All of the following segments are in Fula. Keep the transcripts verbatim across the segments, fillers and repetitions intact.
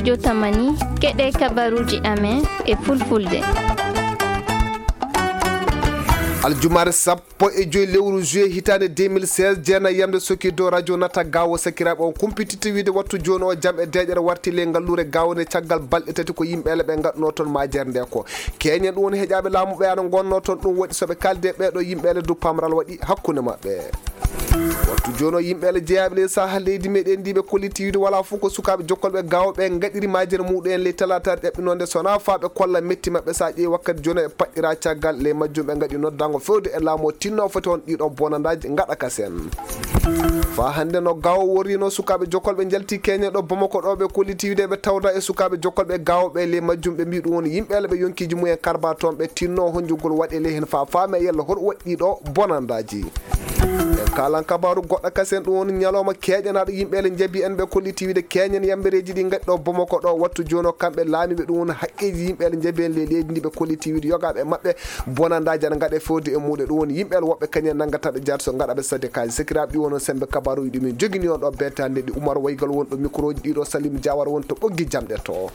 Jotamani, keɗe kabaruuji amen e fulfulde. Aljumaare sappo e joy lewru juillet hitaande deux mille seize, jeena yamde sokki dow radio nata gawo sakiraaɓe on kumpititte wiide wattu jooni o jam e deeƴere warti ley ngalluure gawo nde caggal balɗe tati ko yimɓe ele ɓe ngaɗnoo toon majere nde ko keñen ɗum woni heƴaaɓe laamu ɓe ana ngonnoo toon ɗum waɗi so ɓe kaaldi e ɓeeɗo yimɓe ele du pamral waɗi hakkunde maɓɓe. Wattu jooni o yimɓe ele jeyaaɓe ley saha leydi meɗen ndi ɓe kolliti wiide wala fof ko sukaaɓe jokkolɓe gawo ɓe ngaɗiri majere muɗum en ley talataare ɗeɓɓinonde sona fa ɓe kolla metti maɓɓe sa ƴeewi wakkati jooni e paɗɗira caggal ley majjum ɓe ngaɗi noddango fewde e laamu o tinno foti on ɗiɗo bonandaji ngaɗa kasen. Fa hannde no gawo worrino sukaaɓe jokkolɓe njalti keñe ɗo Bamako ɗo ɓe kolliti wiide ɓe tawda e sukaaɓe jokkolɓe gawo ɓe ley majjum ɓe mbi ɗum woni yimɓe ele ɓe yonkiji mumen karba toon ɓe tinno honjugol waɗe ley hen fa faame yalla hoɗo waɗɗi ɗo bonandaji. En kalan kabaru goɗɗo kasen ɗum woni ñalawma keeƴanaɗo yimɓe ele njabi en ɓe kolliti wiide keeñen yambereeji ɗi ngaɗi ɗo Bamako ɗo wattu jooni o kamɓe laamiiɓe ɗum woni haqqeeji yimɓe ele njabi en ley leydi ndi ɓe kolliti wiide yogaaɓe maɓɓe bonandaaji ana ngaɗe fewde e muuɗe ɗum woni yimɓe ele woɓɓe kañen nanngata ɓe jaati so ngaɗa ɓe sadde kaaji sakiraaɓe ɗi wono sembe kabaruuji ɗi min jogini on ɗo beetande ɗi Umar Waygal woni ɗo micro ji ɗiɗo Salim Diawara woni to ɓoggi jamɗe to.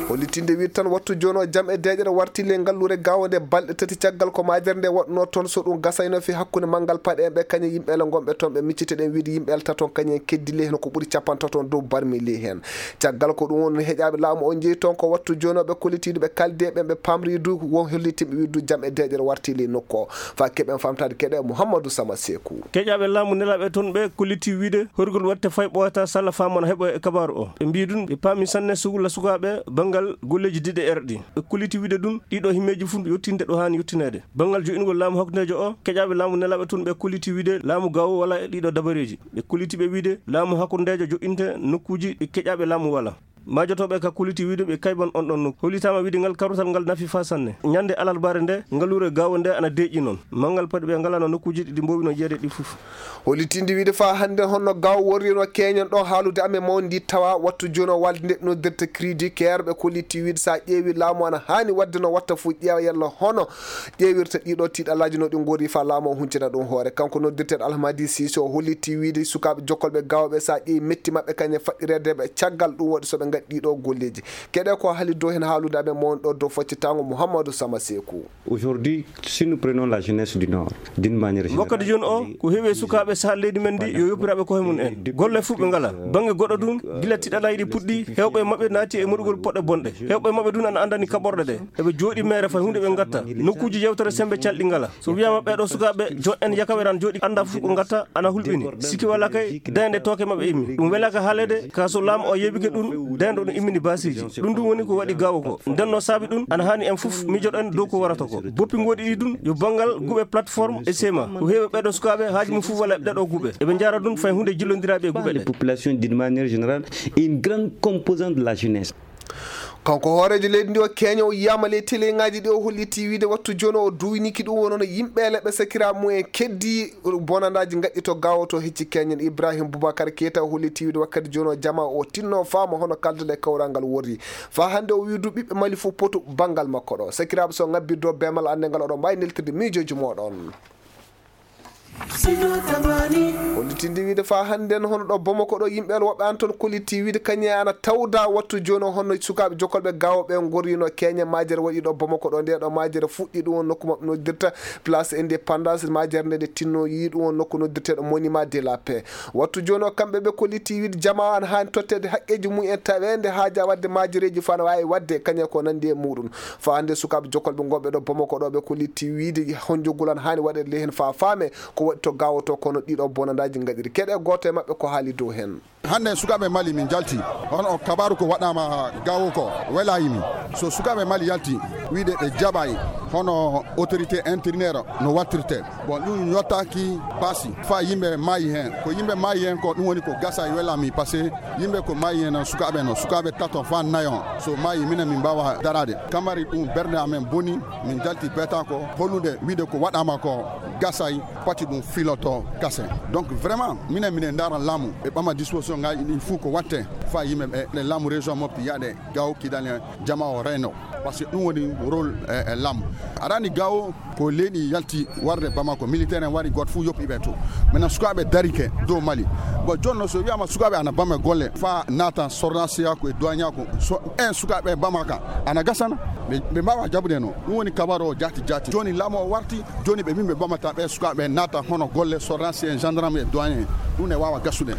Hollitinde wiide tan wattu jooni o jam e deeƴere warti ley ngalluure gawo nde balɗe tati caggal ko majere nde waɗno toon so ɗum gasayno fi hakkunde manngal paɗe en ɓe kañe yimɓe ele ngonɓe toon ɓe miccite ɗen wiide yimɓe ele taton kañen keddi ley heno ko ɓuri capantato dow barmi ley hen. Caggal ko ɗum woni heƴaaɓe laamu o jeeyi toon ko wattu jooni o ɓe kollitiiɗo ɓe kaldi e ɓen ɓe pamri du won hollitinɓe wiide du jam e deeƴere warti ley nokku o. Fa keɓen famtaade keɗe Mouhamadou Sama Seeku. Keƴaaɓe laamu nelaaɓe toon ɓe kolliti wiide horgol waɗte fay ɓooyata salla faamana heɓo e kabaaru o. Ɓe mbii ɗum ɓe paami sanne sugla sukaaɓe banngal golleeji diɗe erɗi. Ɓe kolliti wiide ɗum ɗiɗo himmeeji fof yottinde ɗo haani yottineede. Banngal jo'ingol laamu hakkundeejo o, keƴaaɓe laamu nelaaɓe toon ɓe kolliti wiide laamu gawo wala e ɗiɗo dabareeji. Ɓe kolliti ɓe wiide laamu hakkundeejo jo'inte nokkuuji ɗi keƴaaɓe laamu wala. Majotooɓe ka kolliti wiide ɓe kayban on ɗon nokku. Hollitaama wiide ngal karrutal ngal nafi faa sanne. Ñande alarbaare nde, ngaluure gaawo nde ana deeƴi noon. Manngal paɗi ɓe ngalano nokkuuji ɗi mboowi no jeeyde ɗi fof. Hollitinde wiide faa hannde honno gaawo worrino keeñen ɗo haalude amen mawndi tawa wattu jooni o walde nde noddirta crédit keer ɓe kolliti wiide so a ƴeewi laamu ana haani waɗde no watta fof ƴeewa yalla hono ƴeewirta ɗiɗo tiiɗallaaji no ɗi ngori faa laamu o huncina ɗum hoore. Kanko noddirteeɗo Alhamadi Siise o holliti wiide sukaaɓe jokkolɓe gaawo ɓe so a ƴeewi metti maɓɓe kañe faɗɗireede ɓe caggal ɗum waɗi so ɓe ngaɗi ɗiɗo golleeji. Keɗe ko haali dow heen haalude amen mawni ɗo dow foccitaango Mouhamadou Sama Seeku. Aujourd'hui, si nous prenons la jeunesse du Nord, d'une manière générale, wakkati jooni o ko heewi e sukaaɓe saha leydi men ndi yo yoppiraaɓe koye mum en golle fof ɓe ngala bannge goɗɗo ɗum gila tiɗalaaji ɗi puɗɗi heewɓe e maɓɓe naati e moɗugol poɗɗe bonɗe heewɓe e maɓɓe ɗum ana anndani kaɓorɗe ɗe eɓe jooɗi meere fay huunde ɓe ngatta nokkuuji yewtere sembe calɗi ngala so wiyaama ɓeeɗo sukaaɓe joɗɗen yakaweran jooɗi annda fof ko ngatta ana hulɓini sikki walla kay dayande tooke maɓɓe immi ɗum welaaka haalede ka so laamu o yeɓike ɗum dayande ɗum immini baasiiji ɗum ɗum woni ko waɗi gaawo ko ndenno saabi ɗum ana haani en fof mijoɗen dow ko warata ko boppi ngoɗi ɗi ɗum yo banngal guuɓe plateforme e sema ko heewi ɓeeɗo sukaaɓe haaji mum fof walla ɗeɗo guuɓe eɓe njara ɗum fay huunde jillondiraaɓe e guuɓe ɗe population d'une manière générale et une grande composante de la jeunesse. Kanko hooreejo leydi ndi o keeño o yiyama ley teleŋaaji ɗi o holliti wiide wattu jooni o duwiniki ɗum wonono yimɓe leɓɓe sakiraaɓe mum en keddi bonandaji ngaɗɗi to gawo to hecci keeñen ibrahim boubacar keita o holliti wiide wakkati jooni o jama o tinno faama hono kaldude e kawral ngal worri fa hannde o wiidu ɓiɓɓe mali fof potu banngal makko ɗo sakiraaɓe so ngabbirdo bemal annde ngal oɗon mbawi neltirde miijoji moɗon. Hollitinde wiide faa hannden hono ɗo Bamako ɗo yimɓe woɓɓe an toon kollitii wiide kañum e ana tawda wattu jooni o hono sukaaɓe jokkolɓe gawo ɓe ngorrino keeñe majere waɗi ɗo Bamako ɗo nde ɗo majere fuɗɗi ɗum won nokku maɓɓe noddirta place indépendance majere nde ɗe tinno yi ɗum won nokku noddirteeɗo monument de la paix wattu jooni o kamɓe ɓe kollitii wiide jamaa ana haani totteede haqqeeji mum en taweende haaja waɗde majereeji faa no waawi waɗde kañum ko nanndi e muɗum Faa hannde sukaaɓe jokkolɓe ngonɓe ɗo Bamako ɗo ɓe kollitii wiide honjogol ana haani waɗeede ley heen faa faame ko waɗi to gaawo to kono ɗiɗo bonandaaji ngaɗiri keɗe gooto e maɓɓe ko haali dow heen. Hannde sukaaɓe Mali min njalti hono o kabaaru ko waɗaama gaawo ko welaayimi so sukaaɓe Mali yalti wiide ɓe jaɓaay hono autorité intérieure no wattirte bon ɗum yottaaki baasi faa yimɓe maayi heen ko yimɓe maayi heen ko ɗum woni ko gasa e welaami parce que yimɓe ko maayi heen sukaaɓe no sukaaɓe tato faa nayo so maayi minen min mbaawa daraade kamari ɗum bernde amen boni min njalti beeta ko hollude wiide ko waɗaama ko gasay pati ɗum filoto gase donc vraiment minen minen ndaara laamu ɓe ɓama disposition ngaji ɗin fof ko watte faa yimɓe ɓe ɗe laamu région mofti yaade gaw kidal en jama o reyno Parce que ɗum woni rôle e lam. Arani gawo ko leydi yalti warde Bamako, militaire en wari, goto fof yoppi ɓe to. Maintenant sukaaɓe darike dow Mali. Bon, jonno so wiyama sukaaɓe ana bama golle fa nata sornasiya ko e doignaku, so en sukaaɓe bamaka ana gasana, ɓe ɓe mbawa jabude no. Ɗum woni kabaru o jati jati. Joni laamu o warti, joni ɓe min ɓe bamata ɓe sukaaɓe nata hono golle sornasiya en, gendarme e doyen. Ɗum ne wawa gasude.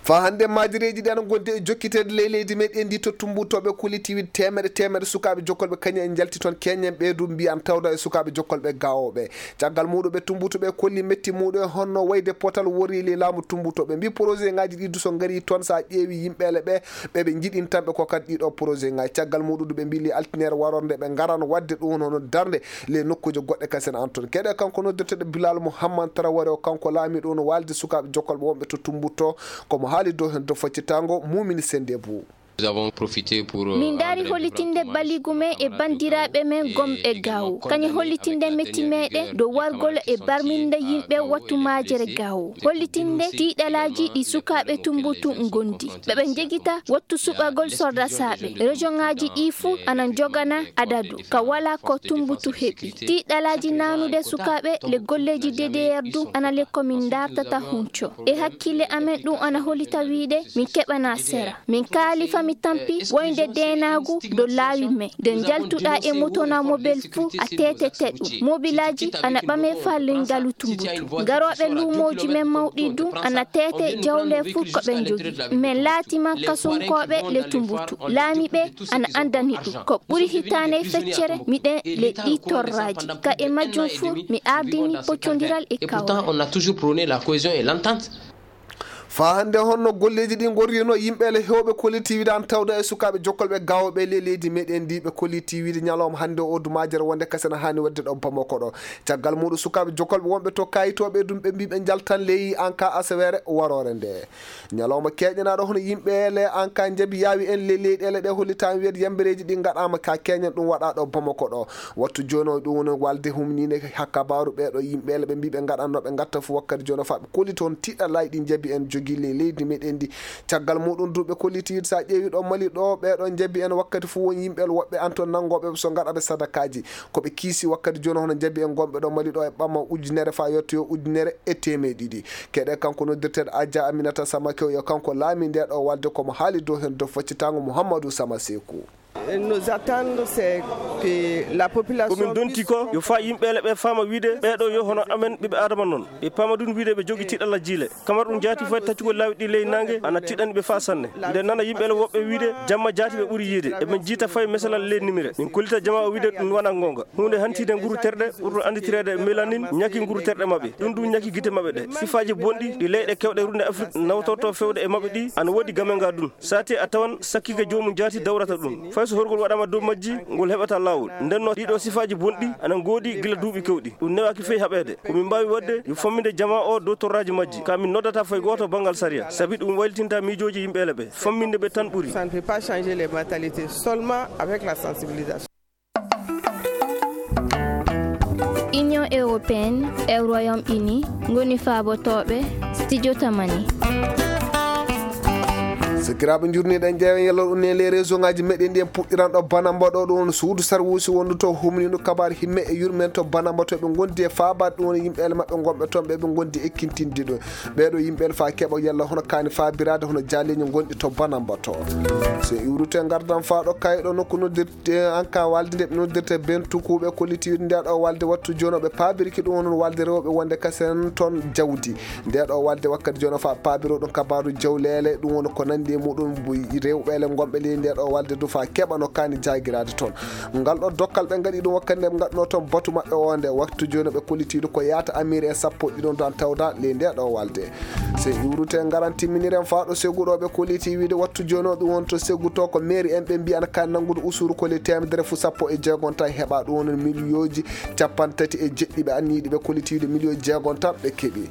Fa hannde maajireeji ɗi ana ngondi e jokkiteede ley leydi meɗen ndi to Tumbuto, ɓe kolliti wide teemedde teemedde sukaaɓe jokkolɓe kañum en njalti toon, keñen ɓe du mbiyan tawda e sukaaɓe jokkolɓe gawoɓe. Caggal muɗum ɓe Tumbuto ɓe kolli metti muɗum e honno wayde potal wori ley laamu Tumbuto. Ɓe mbi projet ngaji ɗi du so ngari toon sa ƴeewi yimɓeele ɓe, ɓe ɓe jiɗin tan ɓe ko kadi ɗiɗo projet ngaji. Caggal muɗum du ɓe mbi ley altinere warorde ɓe ngaran wadde ɗum hono darnde ley nokkuuje goɗɗe kasen an toon. Keɗe kanko noddirteɗo Bilal Mouhammad Traoré o, kanko laamiɗo no walde sukaaɓe jokkolɓe wonɓe to Tumbuto. Komo haali dow heen dow faccitango Mumini Sendebou. Min ndaari hollitinde baligu men e banndiraaɓe men gomɓe gawo. Kañum hollitinde metti meɗen dow wargol e barminde yimɓe wattu maajere gawo. Hollitinde tiiɗalaaji ɗi sukaaɓe Tumbutu ngondi. Ɓe ɓe njegita wattu suɓagol sordasaaɓe. Rejoŋaaji ɗi fuu ana njogana adadu ka wala ko Tumbutu heɓi. Tiiɗalaaji nanude sukaaɓe le golleeji D D R du ana le ko min ndartata hunco. E hakkille amen ɗum ana hollita wiide min keɓana sera. Min kaali fa mi tampi woynde deenaagu do laawi men. Nde njaltuɗa e moto na mobel fuu a teetete ɗum. Mobilaaji ana ɓame fa lengalu Tumbutu. Garooɓe luumooji men mawɗi du ana teete jawle fuu ko ɓe njogii. Men laati man kasunkooɓe le Tumbutu. Laamiiɓe ana anndani ɗum. Ko ɓuri hitaande feccere miɗen le ɗi torraaji. Ka e majjum fuu mi ardini poccondiral e kawral. Et pourtant, on a toujours prôné la cohésion et l'entente. Fa hannde honno golleeji ɗi ngorrino yimɓe le heewɓe kolliti wiide an tawda e sukaaɓe jokkolɓe gawoɓe le leydi meɗen ndi, ɓe kolliti wiide ñalawma hannde o du majere wonde kasana hani wadde ɗo Bamako ɗo. Caggal muɗum sukaaɓe jokkolɓe wonɓe to kayitoɓe ɗum ɓe mbi ɓe njaltan ley an ka asaweere warore nde. Ñalawma keeƴanaɗo hono yimɓe le an ka njabi yaawi en le leyɗele ɗe hollitama wiyde yambereeji ɗi ngaɗama ka keñen ɗum waɗa ɗo Bamako ɗo. Wattu jooni o ɗum woni walde humninde ha kabaru ɓeeɗo yimɓe le ɓe mbi ɓe ngaɗanno ɓe ngatta fu wakkati jooni o fa ɓe kolliti on tiɗɗalaaji ɗi njabi en jogii ley leydi meɗen ndi. Caggal muɗum du ɓe kolliti wiide sa ƴeewi ɗo Mali ɗo ɓeeɗo njabi en wakkati fu won yimɓe le woɓɓe an toon nanngoɓe so ngaɗa ɓe sadakaaji. Ko ɓe kiisi wakkati jooni hono njabi en gonɓe ɗo Mali ɗo e ɓama ujunere fa yettoyo ujunere e teemeɗe ɗiɗi. Keɗe kanko noddirteɗo Adja Aminata Samakew yo kanko laami nde ɗo walde komo haali dow heen dow faccitango Mouhamadou Sama Sekou. Nos attendre, c'est que la population. Komin donti ko yo fa yimɓe le ɓe faama wiide ɓeeɗo yo hono amen ɓiɓɓe Adama noon. Ɓe paama ɗum wiide ɓe jogi tiɗalla jiile. Kamar ɗum jaati fay taccugol laawi ɗi ley naange ana tiɗani ɓe faa sanne. Nde nana yimɓe le woɓɓe wiide jamma jaati ɓe ɓuri yiide. Eɓe jiita fay mesalal ley nimire. Min kollita jama o wiide ɗum wona goonga. Huunde hantiinde nguru terɗe ɓurɗo annditireede melanin ñaki nguru terɗe maɓɓe. Ɗum ɗum ñaki gite maɓɓe ɗe. Sifaaji bonɗi ɗi leyɗe kewɗe runde Afrik nawtorto fewde e maɓɓe ɗi ana woodi game nga ɗum. Saate a tawan sakkike joomum jaati dawrata ɗum. Fay so horgol waɗama dow majji, ngol heɓata laawol. Ndenno ɗiɗo sifaaji bonɗi ana ngoodi gila duuɓi kewɗi. Ɗum newaaki fey haɓeede. Ko min mbaawi waɗde yo famminde jama o dow torraaji majji. Ka min noddata fay gooto banngal sariya. Sabi ɗum waylitinta miijooji yimɓe le ɓe. Famminde ɓe tan ɓuri. Ça ne peut pas changer les mentalités, seulement avec la sensibilisation. Union européenne e Royaume-Uni ngoni faabotooɓe studio Tamani. Sakiraaɓe njurniiɗen ƴeewen yalla ɗum ne les réseau ngaji meɗen ɗi en puɗɗiran ɗo Banamba ɗo ɗum woni suudu sarwuusi wondu to humnino kabaar himme e yurmen to Banamba to ɓe gondi e faabaade ɗum woni yimɓeele maɓɓe gonɓe toon ɓe ɓe gondi e kintinde ɗum. Ɓeeɗo yimɓeele fa keɓa yalla hono kaani faabiraade hono jaaleeji gonɗi to Banamba to. So iwrute ngardan faa ɗo kayɗo nokku noddir te an ka walde nde ɓe noddirta ben tukuɓe kollitiiɗo nde ɗo walde wattu jono ɓe paabirki ɗum woni walde rewɓe wonde kasen toon jawdi. Nde ɗo walde wakkati jono fa paabiro ɗum kabaru jawlele ɗum woni ko nandi e muɗum rewɓele gonɓe ley nde ɗo walde du fa keɓano kani jagirade toon. Ngal ɗo dokkal ɓe ngaɗi ɗum wakkati nde ɓe ngaɗno toon batu maɓɓe o nde wattu jono ɓe kollitiiɗo ko yaata amir en sappo ɗiɗon tan tawda ley nde ɗo walde. So iwrute ngaran timminiren faa ɗo segu ɗo ɓe kolliti wiide wattu jooni o ɗum won to segu to ko mairie en ɓe mbiyan ka nanngude usuru ko le temedere fu sappo e jeegon tan heɓa ɗum won miliyooji capanɗe tati e jeɗɗi ɓe anniyiɗi ɓe kolliti wiide miliyooji jeegon tan ɓe keɓi.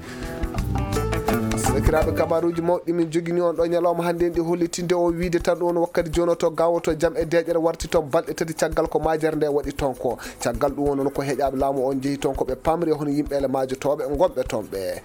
Sakiraaɓe kabaruuji mawɗi min jogini on ɗo ñalawma hannde en ɗi hollitinde o wiide tan ɗum won wakkati jooni o to gawo to jam e deeƴere warti toon balɗe tati caggal ko majere nde waɗi toon ko. Caggal ɗum won ko heƴaaɓe laamu on njehi toon ko ɓe pamri hono yimɓe ele maajotooɓe gonɓe toon ɓe.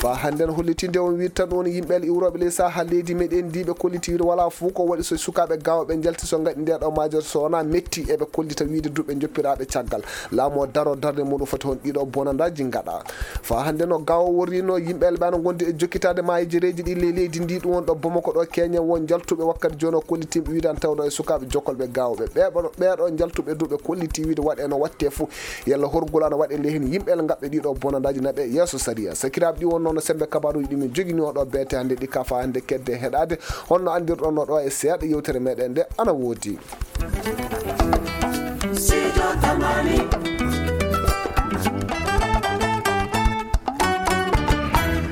Ba hannde no hollitinde on wiide tan woni yimɓe iwrooɓe ley saha leydi meɗen ndi ɓe kolliti wiide wala fof ko waɗi so sukaaɓe gaawooɓe njalti so ngaɗi nde ɗo major so wona metti eɓe kollita wiide duɓe joppiraaɓe caggal laamu o daro darde muɗum foti hon ɗiɗo bonandaaji ngaɗa. Fa hannde no gaawo worrino yimɓe elɓe ana ngondi e jokkitaade maayejereeji ɗi ley leydi ndi ɗum won ɗo Bamako ɗo Kenya won njaltuɓe wakkati jooni o kollitimɓe wiide ana tawɗo e sukaaɓe jokkolɓe gaawooɓe ɓeeɗo ɓeeɗo njaltuɓe duɓe kolliti wiide waɗe no watte fof yalla horgol ana waɗe ley heen yimɓe el ngaɓɓe ɗiɗo bonandaaji naɓe yeeso sariya sakiraaɓe ɗi wonnoo no sembe kabaruuji ɗi min jogini oɗo beete hannde ɗi kafa hannde kedde heɗaade honno anndirɗon no ɗo e seeɗa yewtere meɗen nde ana woodi.